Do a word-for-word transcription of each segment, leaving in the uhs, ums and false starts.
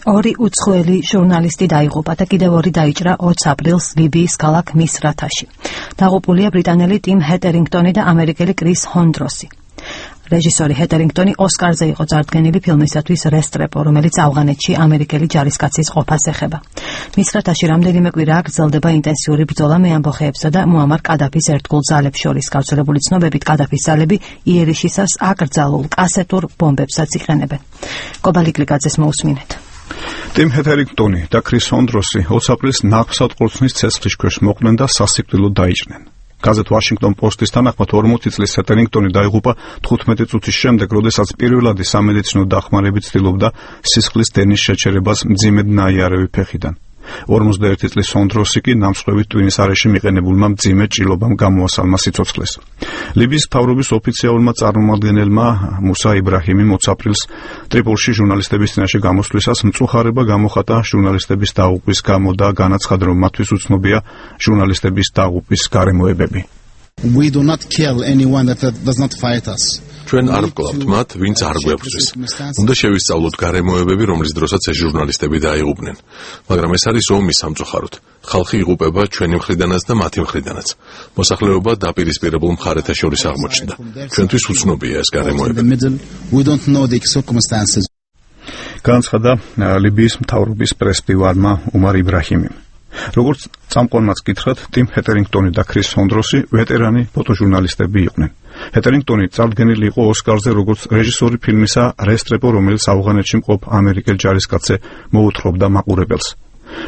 ორი უცხოელი ჟურნალისტი დაიღუპა და კიდევ ორი დაიჭრა ოცი აპრილს ლიბიის ქალაქ მისრათაში. დაღუპულია ბრიტანელი ტიმ ჰეტერინგტონი და ამერიკელი კრის ჰონდროსი. რეჟისორი ჰეტერინგტონი ოსკარზე იყო წარდგენილი ფილმისათვის რესტრეპო, რომელიც ავღანეთში ამერიკელი ჯარისკაცის ყოფას ეხება. მისრათაში რამდენიმე კვირა გრძელდება ინტენსიური ბრძოლა მეამბოხეებსა და მუამარ კადაფის ერთგულ ძალებს შორის. გავრცელებული ცნობებით კადაფის ძალები იერიშისას აკრძალულ კასეტურ ბომბებსაც იყენებენ. კობალიკლიკაძეს მოусმინეთ. ტიმ ჰეტერინგტონი და კრის ჰონდროსი ოცი აპრილს ნაღვსატყორცნის ცეცხლის ქვეშ მოყვნენ და სასიკვდილოდ დაიჭრნენ. გაზეთ ვაშინგტონ პოსტის თანახმად ორმოცი წლის ჰეტერინგტონი დაიღუპა თხუთმეტი წუთის შემდეგ, როდესაც პირველადი სამედიცინო დახმარებით ცდილობდა სისხლის დენის შეჩერებას მძიმედ ნაიარევი ფეხიდან. ორმოცდაერთი წლის ჰონდროსი კი ნამსხვრევით ტვინის არეში მიყენებულმა მძიმე ჭრილობამ გამოასალმა სიცოცხლეს. ლიბიის მთავრობის ოფიციალურმა წარმომადგენელმა მუსა იბრაჰიმი ოცი აპრილს ტრიპოლში ჟურნალისტების წინაშე გამოსვლისას მწუხარება გამოხატა ჟურნალისტების დაღუპვის გამო და განაცხადა, რომ მათთვის უცნობია ჟურნალისტების დაღუპვის გარემოებები. We do not kill anyone that does not fight us. ჩვენ არ ვკლავთ მათ, ვინც არ გვებრძვის. უნდა შევისწავლოთ გარემოებები, რომლის დროსაც ეს ჟურნალისტები დაიღუპნენ. მაგრამ ეს არის ომი სამწუხაროდ. ხალხი იღუპება ჩვენი მხრიდანაც და მათი მხრიდანაც. მოსახლეობა დაპირისპირებულ მხარეთა შორის აღმოჩნდა. ჩვენთვის უცნობია ეს გარემოებები. განაცხადა ლიბიის მთავრობის პრესმდივარმა უმარ იბრაჰიმიმ. როგორც წამყვანმაც გითხრათ, ტიმ ჰეტერინგტონი და კრის ჰონდროსი ვეტერანი ფოტოჟურნალისტები იყვნენ. ჰეტერინგტონი წარდგენილი იყო ოსკარზე როგორც რეჟისორი ფილმისა რესტრეპო, რომელიც ავღანეთში მყოფ ამერიკელ ჯარისკაცზე მოუთხრობდა მაყურებელს.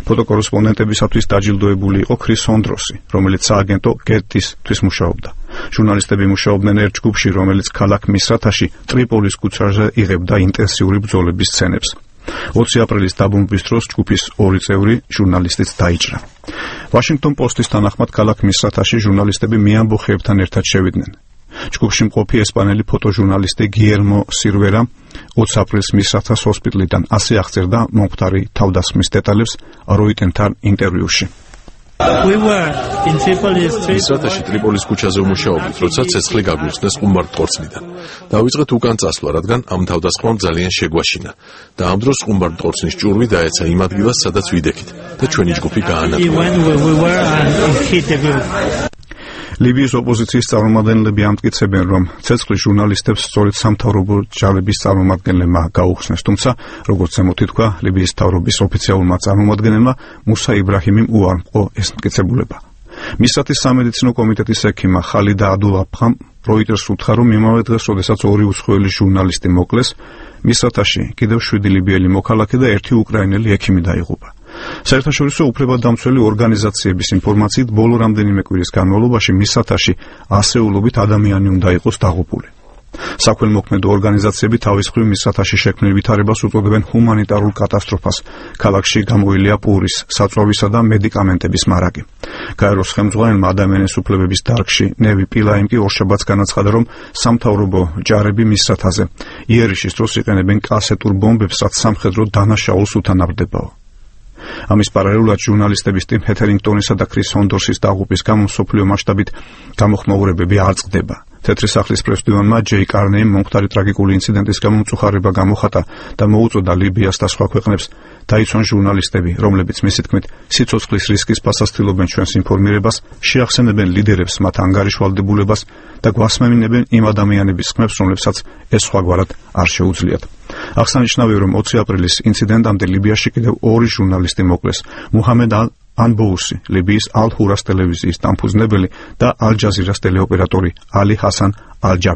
ფოტოკორესპონდენტებისათვის დაჯილდოებული იყო კრის ჰონდროსი, რომელიც სააგენტო გეტისთვის მუშაობდა. ჟურნალისტები მუშაობდნენ ერთ ჯგუფში, რომელიც ქალაქ მისრათაში ტრიპოლის ქუჩაზე იღებდა ინტენსიური ბრძოლების სცენებს. ოცი აპრილის დაბომბვის დროს ჯგუფის ორი წევრი ჟურნალისტიც დაიჭრა. ვაშინგტონ პოსტის თანახმად ქალაქ მისრათაში ჟურნალისტები მეამბოხეებთან ერთად შევიდნენ. ჯგუფში მყოფი ესპანელი ფოტოჟურნალისტი გიერმო სირვერა ოცი აპრილს მისრათას ჰოსპიტალიდან ასე აღწერდა მომხდარი თავდასხმის დეტალებს როიტენთან ინტერვიუში. მისრათაში ტრიპოლის ქუჩაზე ვმუშაობდით, როცა ცეცხლი გაგვიხსნეს ყუმბარდტყორცნიდან. დავიწყეთ უკან წასვლა, რადგან ამ თავდასხმამ ძალიან შეგვაშინა და ამ დროს ყუმბარდტყორცნის ჭურვი დაეცა იმ ადგილას, სადაც ვიდექით და ჩვენი ჯგუფი გაანადგურა. ლიბიის ოპოზიციის წარმომადგენლები ამტკიცებენ, რომ ცეცხლი ჟურნალისტებს სწორედ სამთავრობო ჯარების წარმომადგენლებმა გაუხსნეს, თუმცა, როგორც ზემოთ ითქვა, ლიბიის მთავრობის ოფიციალურმა წარმომადგენელმა მუსა იბრაჰიმიმ უარმყო ეს მტკიცებულება. მისრათის სამედიცინო კომიტეტის ექიმა ხალიდა აბდულაფხამ როიტერს უთხრა, რომ იმავე დღეს, როდესაც ორი უცხოელი ჟურნალისტი მოკლეს, მისრათაში კიდევ შვიდი ლიბიელი მოქალაქე და ერთი უკრაინელი ექიმი დაიღუპა. საერთაშორისო უფლებადამცველი ორგანიზაციების ინფორმაციით, ბოლო რამდენიმე კვირის განმავლობაში მისრათაში ასეულობით ადამიანი უნდა იყოს დაღუპული. საქველმოქმედო ორგანიზაციები თავის მხრივ მისრათაში შექმნილ ვითარებას უწოდებენ ჰუმანიტარულ კატასტროფას. ქალაქში გამოილია პურის, საწვავისა და მედიკამენტების მარაგი. გაეროს ხელმძღვანელმა ადამიანის უფლებების დარგში ნევი პილაიმ კი ორშაბათს განაცხადა, რომ სამთავრობო ჯარები მისრათაზე იერიშის დროს იყენებენ კასეტურ ბომბებს, რაც სამხედრო დანაშაულს უთანაბრდებაო. ამის პარალელურად ჟურნალისტების ტიმ ჰეტერინგტონისა და კრის ჰონდროსის დაღუპვის გამო მსოფლიო მასშტაბით გამოხმაურებები არ წყდება. თეთრი სახლის პრესმდივარმა ჯეი კარნეიმ მომხდარი ტრაგიკული ინციდენტის გამო მწუხარება გამოხატა და მოუწოდა ლიბიას და სხვა ქვეყნებს დაიცვან ჟურნალისტები, რომლებიც მისი თქმით სიცოცხლის რისკის ფასად ჩვენს ინფორმირებას, შეახსენებენ ლიდერებს მათ ანგარიშვალდებულებას და გვასმემინებენ იმ ადამიანების ხმებს, რომლებსაც ეს სხვაგვარად არ შეუძლიათ. აღსანიშნავია, რომ ოცი აპრილის ინციდენტამდე ლიბიაში კიდევ ორი ჟურნალისტი მოკლეს. მუჰამედ ალ ანბოუსი, ლიბიის ალ-ჰურას ტელევიზიის დამფუძნებელი და ალ-ჯაზირას ტელეოპერატორი ალი ჰასან ალ-ჯაბ